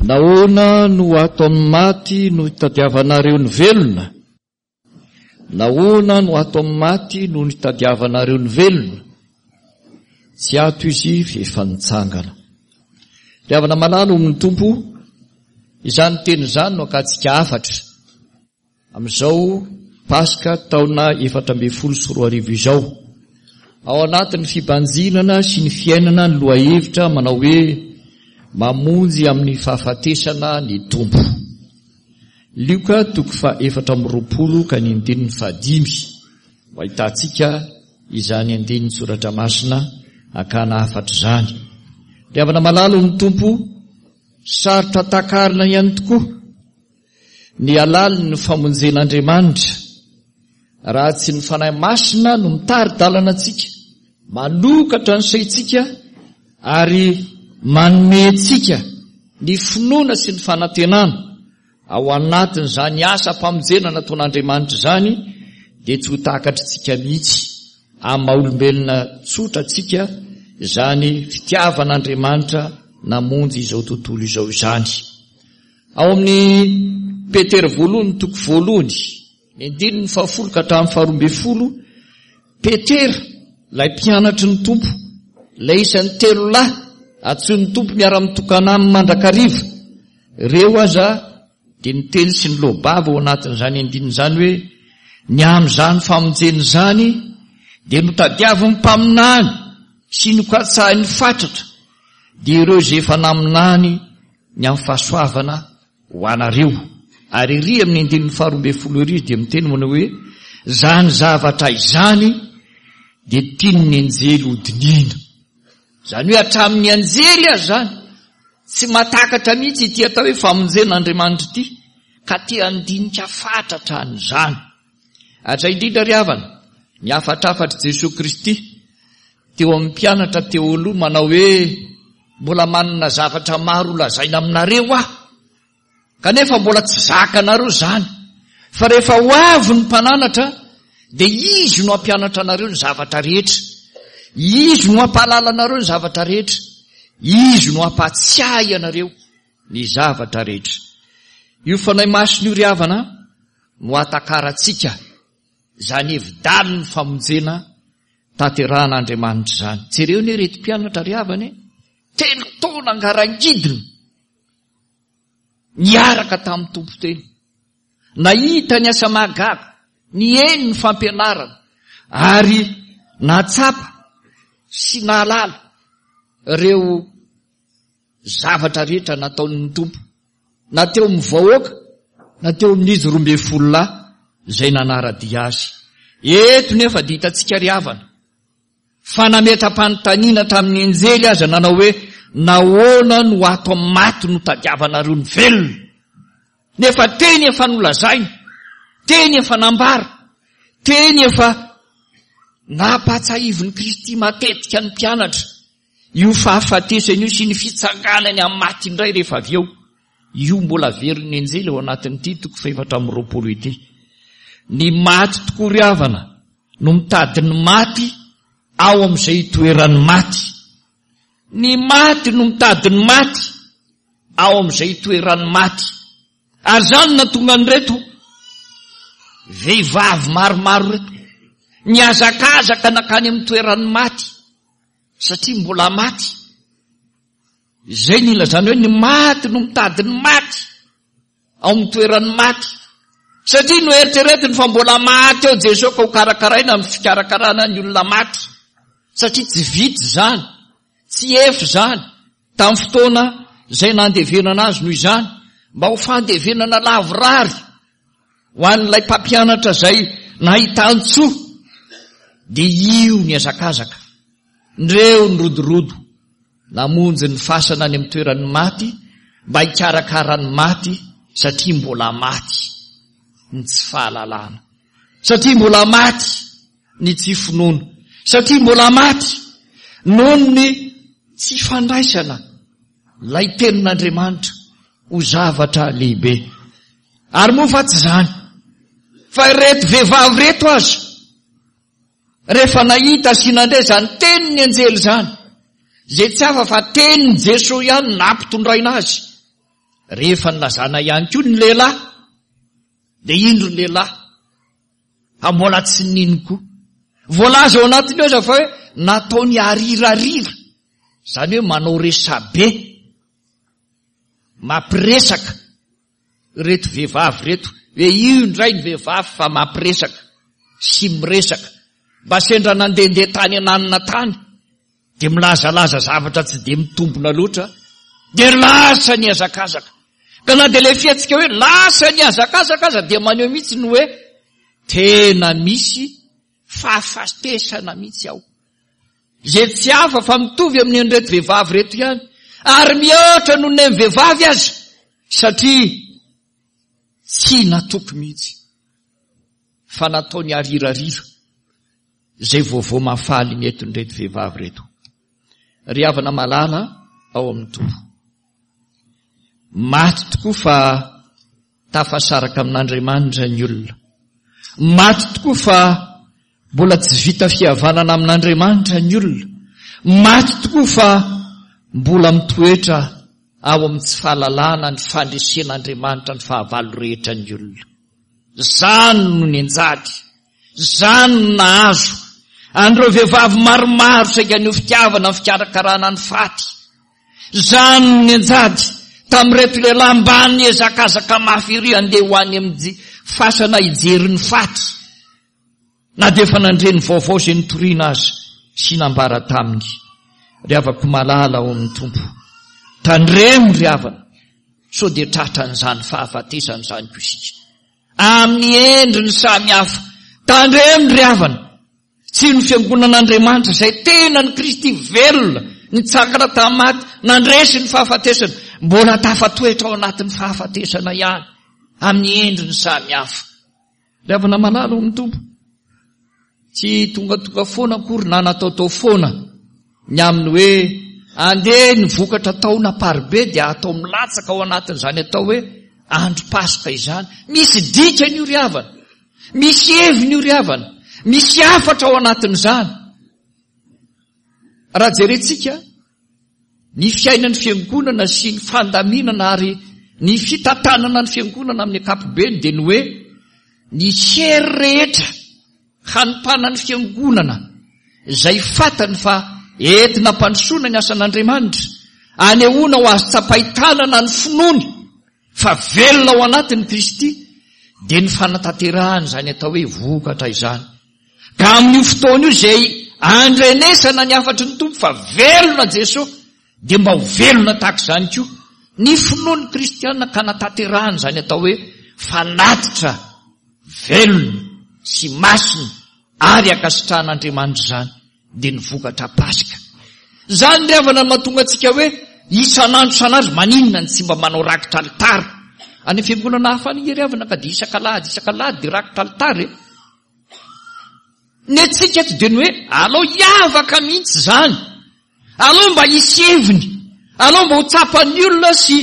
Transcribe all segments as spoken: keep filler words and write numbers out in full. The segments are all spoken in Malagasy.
Nahoana no ato amin'ny maty no itadiavanareo ny velona? Nahoana no ato amin'ny maty no nitadiavanareo ny velona? Tsy ato izy fa efa nitsangana. Ry havana malala ao amin'ny Tompo, izany teny izany no akantsika hafatra amin'izao Paska taona efatra ambin'ny folo sy roa arivo izao. Ao anatin'ny fibanjinana sy ny fiainana ny lohahevitra manao hoe mamonjy amin'ny fahafatesana ny Tompo. Lioka toko faha efatra amby roapolo ka ny andininy fahadimy no ahitantsika izany andinin-tsoratra masina hakana hafatra izany. Ry havana malala ao amin'ny Tompo, sarotra takarina ihany tokoa ny halalin'ny famonjen'Andriamanitra raha tsy ny Fanahy Masina no mitari-dalana antsika, manokatra ny saintsika ary manome antsika ny finoana sy ny fanantenana. Ao anatin'izany asam-pamonjena nataon'Andriamanitra izany dia tsy ho takatr'tsika mihitsy amin'ny maha olombelona tsotra antsika izany fitiavan'Andriamanitra namonjy izao tontolo izao izany. Ao amin'ny Petera voalohany toko voalohany, ny andininy fahafolo ka hatramin'ny faharoa ambin'ny folo, Petera, ilay mpianatry ny Tompo, ilay isan'ny telo lahy antsoin'ny Tompo miara-mitokana aminy mandrakariva, ireo aza dia niteny sy niloa-bava ao anatin'izany andininy izany hoe, ny amin'izany famonjena izany dia notadiavin'ny mpaminany sy nokatsahin'ny fatratra, dia ireo izay efa naminany ny amin'ny fahasoavana ho anareo. Ary ery amin'ny andininy faharoa ambin'ny folo ery izy dia miteny manao hoe, izany zavatra izany dia tian'ny anjely hodinihina. Izany hoe hatramin'ny anjely aza izany tsy mahatakatra mihitsy ity atao hoe famonjen'Andriamanitra ity, ka te handinika fatratra an'izany. Ary izay indrindra ry havana, ny hafatrafatr'i Jesoa Kristy teo amin'ny mpianatra teo aloha manao hoe, mbola manana zavatra maro holazaina aminareo aho, kanefa mbola tsy zakanareo izany, fa rehefa ho avy ny mpananatra dia izy no hampianatra anareo ny zavatra rehetra, izy no hampahalala anareo ny zavatra rehetra, izy no hampahatsiahy anareo ny zavatra rehetra. Io Fanahy Masina io ry havana no hatakarantsika izany hevi-dalin'ny famonjena tanterahan'Andriamanitra izany. Jereo anie ireto mpianatra ry havana e, telo taona ngarangidina niaraka tamin'ny Tompo teny, nahita ny asa mahagaga, nihaino ny fampianarana ary nahatsapa sy nahalala ireo zavatra rehetra nataon'ny Tompo, na teo amin'ny vahoaka na teo amin'izy roa ambin'ny folo lahy izay nanara-dia azy. Eto nefa dia hitantsika ry havana fa nametra-panontaniana hatramin'ny anjely aza nanao hoe, nahoana no ato amin'ny maty no tadiavanareo ny velona? Nefa teny efa nolazaina, teny efa nambara, teny efa nampahatsiahivin'i Kristy matetika ny mpianatra io fahafatesany io sy ny fitsanganany amin'ny maty indray rehefa avy eo. Io mbola averin'ny anjely ao anatin'ity toko fahefatra amby roapolo ity. Ny maty tokoa ry havana no mitady ny maty ao amin'izay itoeran'ny maty. Ny maty no mitady ny maty ao amin'izay itoeran'ny maty. Ary izany no nahatonga an'ireto vehivavy maromaro ireto nihazakazaka nankany amin'ny toeran'ny maty satria mbola maty. Izay no ilazana hoe ny maty no mitady ny maty ao amin'ny toeran'ny maty. Satria noeritreretiny fa mbola maty ao Jesoa ka ho karakaraina amin'ny fikarakarana ny olona maty. Satria tsy vita izany, tsy efa izany tamin'ny fotoana izay nandevenana azy noho izany, mba ho fandevenana lavorary ho an'ilay mpampianatra izay nahitan-tsoa, dia io ny hazakazaka, ndreo ny rodorodo namonjy ny fasana any amin'ny toeran'ny maty mba hikarakara ny maty satria mbola maty ny tsy fahalalana, satria mbola maty ny tsy finoana, satria mbola maty noho ny tsy fandraisana ilay tenin'Andriamanitra ho zavatra lehibe. Ary moa fa tsy izany, fa ireto vehivavy ireto aza, rehefa nahita sy nandre izany tenin'ny anjely izany, izay tsy hafa fa tenin'i Jesoa ihany nampitondraina azy, Rehefa nilazana ihany koa ny lehilahy, dia indro ny lehilahy fa mbola tsy nino koa. Voalaza ao anatiny ao aza fa hoe nataony arirarira, izany hoe manao resabe, mampiresaka ireto vehivavy ireto, hoe io indray ny vehivavy fa mampiresaka sy miresaka. Mba sendra nandehandeha tany ananona tany, dia milazalaza zavatra tsy dia mitombina loatra, dia lasa nihazakazaka. Ka na dia ilay fihetsika hoe lasa nihazakazaka aza dia maneho mihitsy ny hoe tena misy fahafatesana mihitsy ao. Izay tsy hafa fa mitovy amin'ny an'ireto vehivavy ireto ihany, ary mihoatra noho ny an'ny vehivavy aza, satria tsy natoky mihitsy fa nataony arirarira izay vaovao mahafaly nentin'ireto vehivavy ireto. Ry havana malala ao amin'ny Tompo, maty tokoa fa tafasaraka amin'Andriamanitra ny olona. Maty tokoa fa mbola tsy vita fihavanana amin'Andriamanitra ny olona. Maty tokoa fa mbola mitoetra ao amin'ny tsy fahalalana ny fandresen'Andriamanitra ny fahavalo rehetra ny olona. Izany no nianjady, izany no nahazo an'ireo vehivavy maromaro saika ny fitiavana ny fikarakarana ny faty. Izany no nianjady tamin'ireto lehilahy mba niezakazaka mafy iry handeha ho any amin'ny fasana hijery ny faty, na dia efa nandre ny vaovao izay nitoriana azy sy nambara taminy. Ry havako malala ao amin'ny Tompo, tandremo ry havana sao dia tratran'izany fahafatesana izany koa isika amin'ny endriny samy hafa. Tandremo ry havana, tsy ny fiangonan'Andriamanitra izay tena ny Kristy velona nitsangana tamin'ny maty, nandresy ny fahafatesana, mbola tafatoetra ao anatin'ny fahafatesana ihany amin'ny endriny samy hafa. Ry havana malala ao amin'ny Tompo, tsy tongatonga foana akory na nataotao foana ny amin'ny hoe andeha ny vokatra taona paribe dia atao milatsaka ao anatin'izany atao hoe andro Paska izany. Misy dikany io ry havana, misy heviny io ry havana, misy hafatra ao anatin'izany. Raha jerentsika ny fiainan'ny fiangonana sy ny fandaminana ary ny fitantanana ny fiangonana amin'ny ankapobeny dia ny hoe ny hery rehetra hanompanan'ny fiangonana izay fantany fa entina ampandrosoana ny asan'Andriamanitra, anehoana ho azo tsapain-tanana ny finoany fa velona ao anatin'i Kristy, dia ny fanatanterahana izany atao hoe vokatra izany. Ka amin'io fotoana io izay andrenesana ny hafatry ny Tompo fa velona Jesosy, dia mba ho velona tahaka izany koa ny finoan'ny kristiana ka anatanterahana izany atao hoe fanatitra velona sy masina ary ankasitrahan'Andriamanitra izany, dia ny vokatra Paska. Izany ry havana no mahatonga antsika hoe isan'andro isan'andro maninona ny tsy mba manao rakitra alitara. Any fiangonana hafa any ry havana ka dia isak'alahady isak'alahady dia rakitra alitara e. Ny antsika eto dia ny hoe alao hiavaka mihitsy izany, alao mba hisy heviny, alao mba ho tsapan'ny olona sy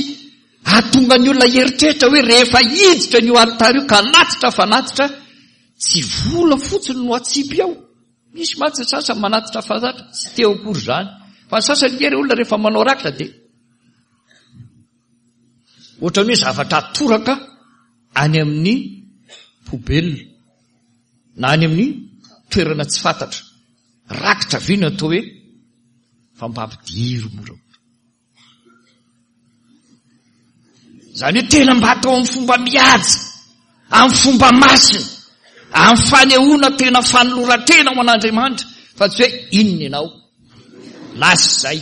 hahatonga ny olona hieritreritra hoe rehefa hiditra an'io alitara io ka hanatitra fanatitra, tsy vola fotsiny no atsipy ao. Misy mantsy ny sasany manatitra fanatitra, tsy teo akory izany. Fa ny sasany nge re olona rehefa manao rakitra dia ohatran'ny hoe zavatra atoraka any amin'ny poubelle na any amin'ny toerana tsy fantatra. Rakitra ve no atao hoe fa mba ampidiro moramora. Izany hoe tena mba atao amin'ny fomba mihaja, amin'ny fomba masina, amin'ny fanehoana tena fanoloran-tena ho an'Andriamanitra, fa tsy hoe inona ianao, lasa izay.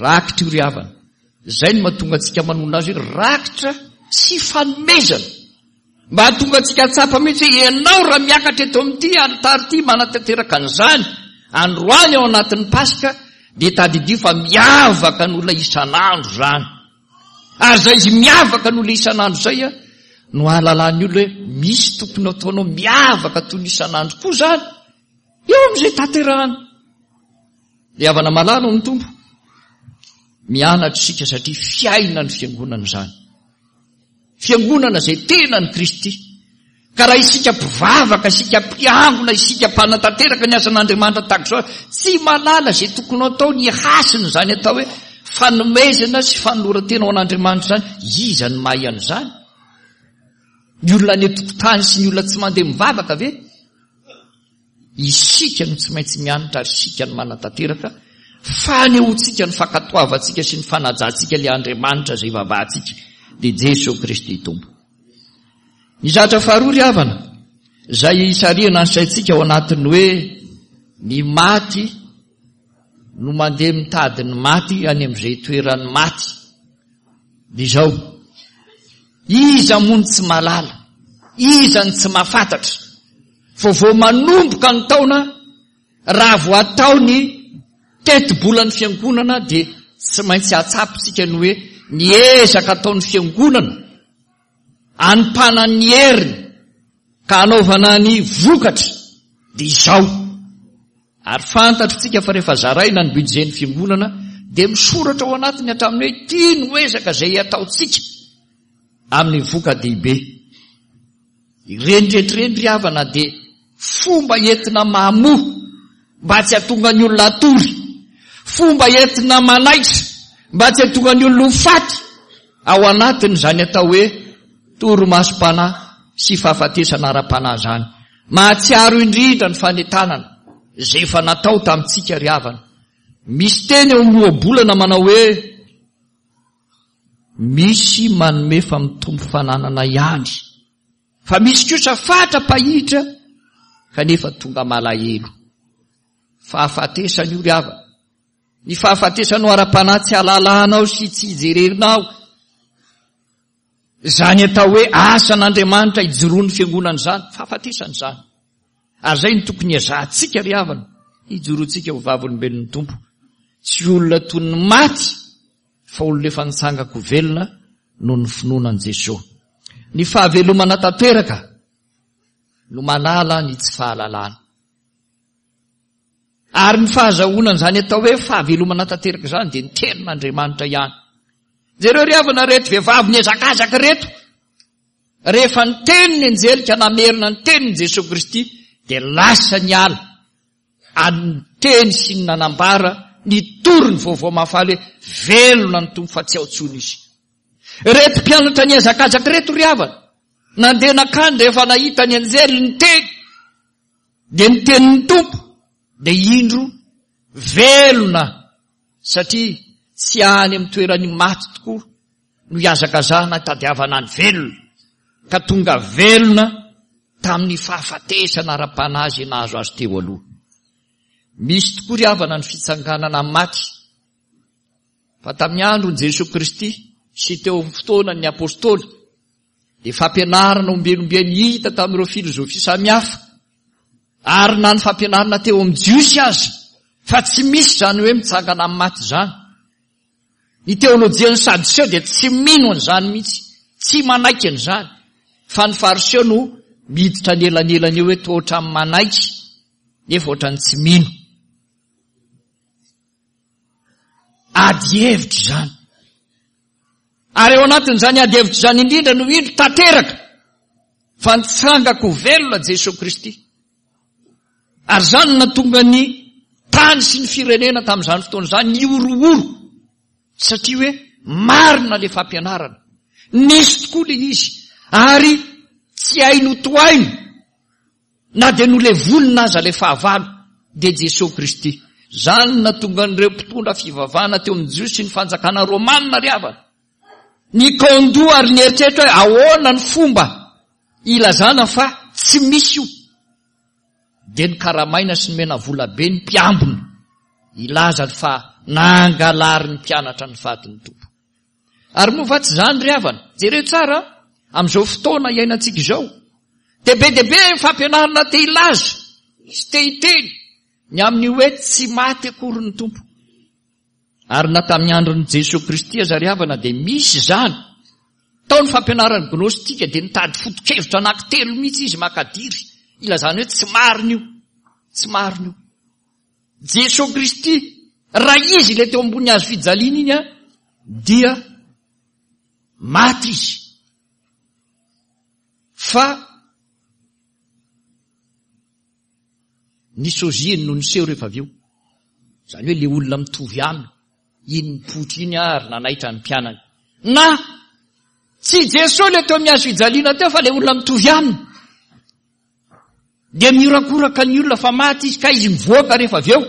Rakitra io ry havana. Izay no mahatonga antsika manonona azy hoe rakitra sy fanomezana. Mba hahatonga antsika hahatsapa mihitsy hoe ianao raha miakatra eto amin'ity alitara ity manatanteraka an'izany androany ao anatin'ny Paska, dia tadidio fa miavaka ny olona isan'andro izany. Ary izay izy miavaka ny olona isan'andro izay no ahalalan'ny olona hoe misy tokony ataonao miavaka toy ny isan'andro koa izany eo amin'izay tanterahana. Ry havana malala ao amin'ny Tompo, mianatra isika satria fiainan'ny fiangonana izany. Fiangonana izay tena ny Kristy. Ka raha isika mpivavaka, isika mpiangona, isika mpanatanteraka ny asan'Andriamanitra tahaka izao, tsy mahalala izay tokony atao ny hasina izany atao hoe fanomezana sy fanoloran-tena ho an'Andriamanitra izany, iza no mahay an'izany? Ny olona any an-tokotany sy ny olona tsy mandeha mivavaka ve? Isika no tsy maintsy mianatra ary isika no manatanteraka fanehoantsika ny fankatoavantsika sy ny fanajantsika ilay Andriamanitra izay ivavahantsika, dia Jesoa Kristy Tompo. Ny zavatra faharoa ry havana, izay isarihana ny saintsika ao anatin'ny hoe ny maty no mandeha mitady ny maty any amin'izay toeran'ny maty, dia izao, iza moa no tsy mahalala, iza no tsy mahafantatra fa vao manomboka ny taona, raha vao atao ny tetibolan'ny fiangonana dia tsy maintsy atsapitsika ny hoe ny ezaka ataon'ny fiangonana anompanan'ny heriny ka anaovana ny vokatra dia izao. Ary fantatritsika fa rehefa zaraina ny budget-n'ny fiangonana dia misoratra ao anatiny hatramin'ny hoe ity no ezaka izay ataontsika amin'ny voka-dehibe. Ireny rehetra ireny ry havana dia fomba entina mamoa mba tsy hahatonga ny olona hatory, fomba entina manaitra mba tsy hahatonga ny olona ho faty ao anatin'izany atao hoe torimasom-panahy sy fahafatesana ara-panahy izany. Mahatsiaro indrindra ny fanentanana izay efa natao tamintsika ry havana. Misy teny eo amin'ny ohabolana manao hoe misy manome fa mitombo fananana ihany, fa misy kosa fatra-pahitra kanefa tonga malahelo. Fahafatesana io ry havana. Ny fahafatesanao ara-panahy tsy ahalalanao sy tsy hijerenao. Izany atao hoe asan'Andriamanitra ijoroan'ny fiangonana izany, fahafatesana izany. Ary izay no tokony hiazahantsika ry havana, hijoroantsika ho vavolombelon'ny Tompo. Tsy olona toy ny maty, fa olona efa nitsangako velona noho ny finoana an'i Jesoa. Ny fahavelomana tanteraka no manala ny tsy fahalalana. Ary ny fahazahoana an'izany atao hoe fahavelomana tanteraka izany dia ny tenin'Andriamanitra ihany. Jereo ry havana ireto vehivavy nihazakazaka ireto. Rehefa niteny ny anjely ka namerina ny tenin'i Jesoa Kristy dia lasa niala ary niteny sy ny nanambara nitory ny vaovao mahafaly hoe velona ny Tompo fa tsy ao intsony izy. Ireto mpianatra nihazakazaka ireto ry havana, nandeha nankany rehefa nahita ny anjely niteny, dia niteny ny Tompo, dia indro velona, satria tsy any amin'ny toeran'ny maty tokoa no hihazakazahana hitadiavana ny velona, ka tonga velona tamin'ny fahafatesana ara-panahy izay nahazo azy teo aloha. Misy tokoa ry havana ny fitsanganana amin'ny maty, fa tamin'ny andron'i Jesoa Kristy sy teo amin'ny fotoanan'ny apôstôly dia fampianarana ombieniombieny hita tamin'ireo filozofia samihafa, ary na ny fampianarana teo amin'ny Jiosy aza, fa tsy misy izany hoe mitsangana amin'ny maty izany. Ny teolojian'ny Sadoseo dia tsy mino an'izany mihitsy, tsy manaiky an'izany, fa ny Fariseo no miditra anelanelany eo hoe toa ohatran'ny manaiky nefa ohatran'ny tsy mino. Ady hevitra izany. Ary ao anatin'izany ady hevitra izany indrindra no indro tanteraka fa nitsangako velona Jesoa Kristy. Ary izany no nahatonga ny tany sy ny firenena tamin'izany fotoana izany nihorohoro, satria hoe marina ilay fampianarana. Nisy tokoa ilay izy, ary tsy hay notohaina na dia nolevonina aza ilay fahavalo, dia Jesoa Kristy. Izany no nahatonga an'ireo mpitondra fivavahana teo amin'ny Jiosy sy ny fanjakana romana ry havana nikaondoha ary nieritreritra hoe ahoana ny fomba ilazana fa tsy misy io. Dia nokaramaina sy nomena vola be ny mpiambina hilaza fa nangalarin'ny mpianatra ny fatin'ny Tompo. Ary moa va tsy izany ry havana? Jereo tsara amin'izao fotoana iainantsika izao. Dia be dia be ny fampianarana te hilaza sy te hiteny ny amin'ny hoe tsy maty akory ny Tompo. Ary na tamin'ny andron'i Jesoa Kristy aza ry havana dia misy izany. Tao ny fampianaran'ny gnostika dia nitady foto-kevitra anankitelo mihitsy izy makadiry ilazana hoe tsy marina io, tsy marina io. Jesoa Kristy, raha izy ilay teo ambony hazo fijaliana iny a, dia maty izy. Fa ny soziany no niseho rehefa avy eo. Izany hoe ilay olona mitovy aminy. Iny nipoitra iny ary nanaitra ny mpianany. Na tsy Jesoa ilay teo amin'ny hazo fijaliana teo fa ilay olona mitovy aminy. Dia miorakoraka ny olona fa maty izy ka izy mivoaka rehefa avy eo.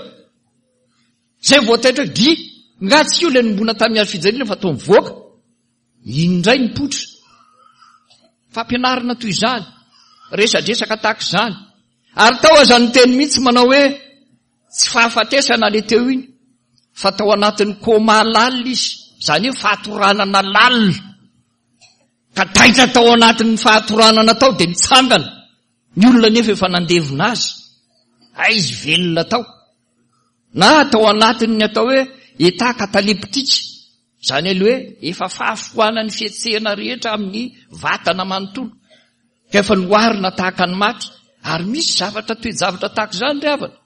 Izay vao taitra hoe dry, nga tsy io ilay nombona tamin'ny hazo fijaliana fa toa mivoaka. Iny indray nipoitra. Fampianarana toy izany, resadresaka tahaka izany. Ary tao aza ny teny mihitsy manao hoe tsy fahafatesana ilay teo iny, fa tao anatin'ny koma lalina izy, izany hoe fahatoranana lalina. Ka taitra tao anatin'ny fahatoranana tao dia nitsangana. Ny olona nefa efa nandevina azy. Hay izy velona tao. Na tao anatin'ny atao hoe état cataleptique, izany hoe efa fahafoanan'ny fihetsehana rehetra amin'ny vatana manontolo. Ka efa noharina tahaka ny maty. Ary misy zavatra toe-javatra tahaka izany ry havana.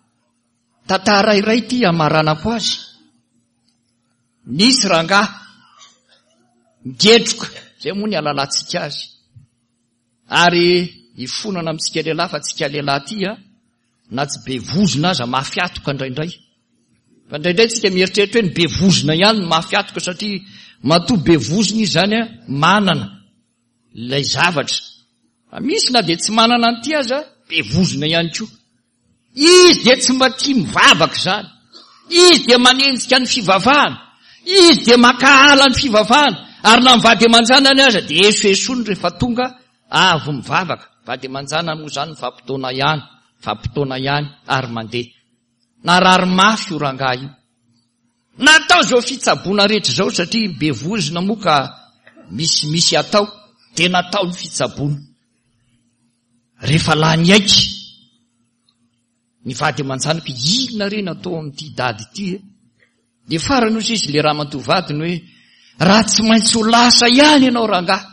Tantara iray ity hamaranako azy. Nisy rangahy ngetroka, izay moa ny alalantsika azy. Ary ifonana amintsika lehilahy fa tsika lehilahy ity a, na tsy be vozona aza mafy atoka indraindray. Fa indraindray tsika mieritreritra hoe ny be vozona ihany no mafy atoka satria matoa be vozona izy izany a, manana ilay zavatra. Fa misy na dia tsy manana an'ity aza, be vozona ihany koa. Izy dia tsy mba tia mivavaka izany. Izy dia manenjika ny fivavahana. Izy dia mankahala ny fivavahana. Ary na mivady aman-janany aza dia esoesoany rehefa tonga avy mivavaka. Vady aman-janany moa izany mifampitaona ihany, mifampitaona ihany ary mandeha. Narary mafy io rangahy io. Natao izao fitsaboana rehetra izao satria be vozona moa ka misimisy atao, dia natao ny fitsaboana. Rehefa lany aiky ny vady aman-janako, inona re natao amin'ity dady ity e? Dia farany hoy izy le ramatoa vadiny hoe raha tsy maintsy ho lasa ihany ianao rangahy,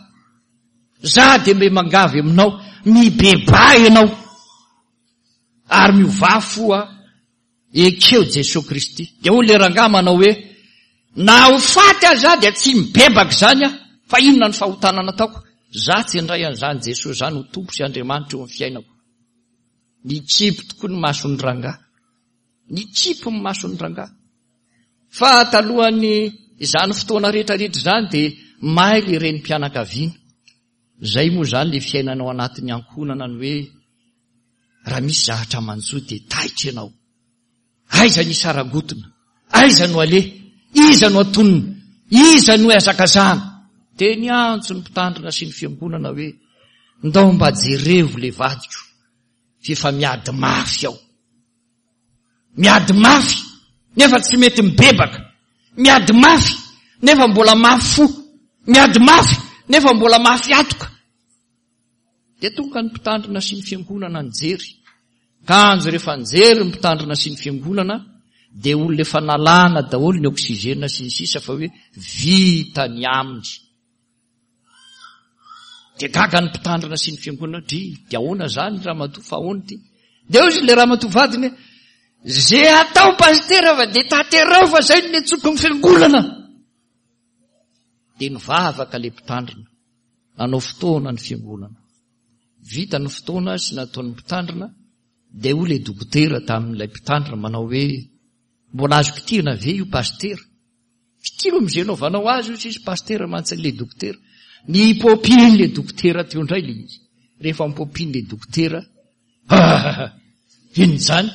za dia mbe mangavy aminao, mibebaha ianao ary miovà fo a, ekeo Jesoa Kristy. Dia hoy le rangahy manao hoe na ho faty aza dia tsy mibebaka izany aho, fa inona ny fahotana nataoko? Za tsy handray an'izany Jesoa izany ho Tompo sy Andriamanitra eo amin'ny fiainako. Nikipy tokoa ny mason'ny rangahy. Nikipy ny mason'ny rangahy. Fa talohan'ny izany fotoana rehetrarehetra izany dia maily ireny mpianakaviana. Izay moa izany le fiainana ao anatin'ny ankohonana ny hoe raha misy zavatra manjo dia taitra ianao. Aiza ny sarangotona? Aiza no aleha? Iza no atonina? Iza no hazakazahana? Dia niantso ny mpitandrina sy ny fiangonana hoe ndao mba jerevo le vadiko fa efa miady mafy ao. Miady mafy nefa tsy mety mibebaka. Miady mafy nefa mbola mafy fo. Miady mafy nefa mbola mafy atoka. Dia tonga ny mpitandrina sy ny fiangonana nijery. Kanjo rehefa nijery ny mpitandrina sy ny fiangonana dia olona efa nalana daholo ny oxygène sy ny sisa fa hoe vita ny aminy. Dia gaga ny mpitandrina sy ny fiangonana, dry, dia ahoana izany ramatoa fa ahoana ity? Dia hoy izy le ramatoa vadiny hoe ze atao pastera fa dia tanterao fa zay no niantsoko ny fiangonana. Dia nivavaka le mpitandrina, nanao fotoana ny fiangonana. Vita ny fotoana sy nataon'ny mpitandrina, dia hoy le dokotera tamin'ilay mpitandrina manao hoe mbola azo kitihina ve io pastera? Kitihina amin'izay anaovanao azy io sisy pastera mantsy le dokotera. Nipopiny le dokotera teo indray le izy. Rehefa nipopiny le dokotera, ah, inona izany?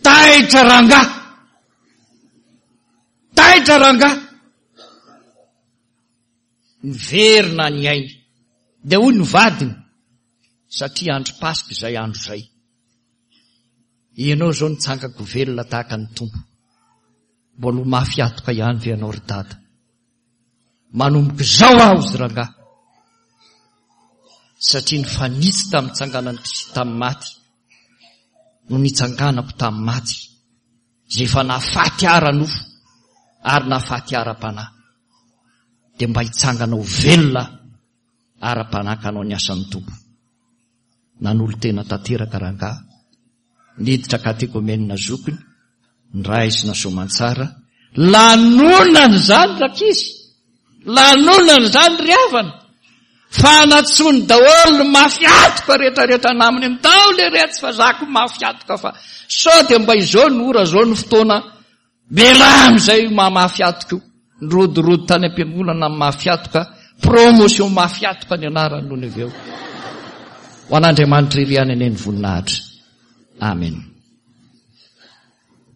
Taitra rangahy! Taitra rangahy! Niverina ny ainy. Dia hoy ny vadiny, satria andro Paska izay andro izay. Ianao izao nitsangako velona tahaka ny Tompo. Mbola ho mafy atoka ihany ve ianao ry dada? Manomboka izao aho izy rangahy. Satria nifanitsy tamin'ny tsanganan'i Kristy tamin'ny maty no nitsanganako tamin'ny maty, izay efa nahafaty ara-nofo ary nahafaty ara-panahy, dia mba hitsangana ho velona ara-panahy ka hanao ny asan'ny Tompo. Nanolo-tena tanteraka rangahy, niditra katekomena zokiny, niraisina soamantsara, lanonana izany rankizy, lanonana izany ry havana, fa natsony daholo ny mafy atoka rehetrarehetra namany, ndao le retsy fa zako mafy atoka fa sao dia mba izao ny ora, izao ny fotoana Mialà amin'izay maha mafy atoka io. Nirodorodo tany am-piangonana amin'ny mafy atoka, promotion mafy atoka ny anarany nony avy eo. Ho an'Andriamanitra irery ihany anie ny voninahitra. Amen.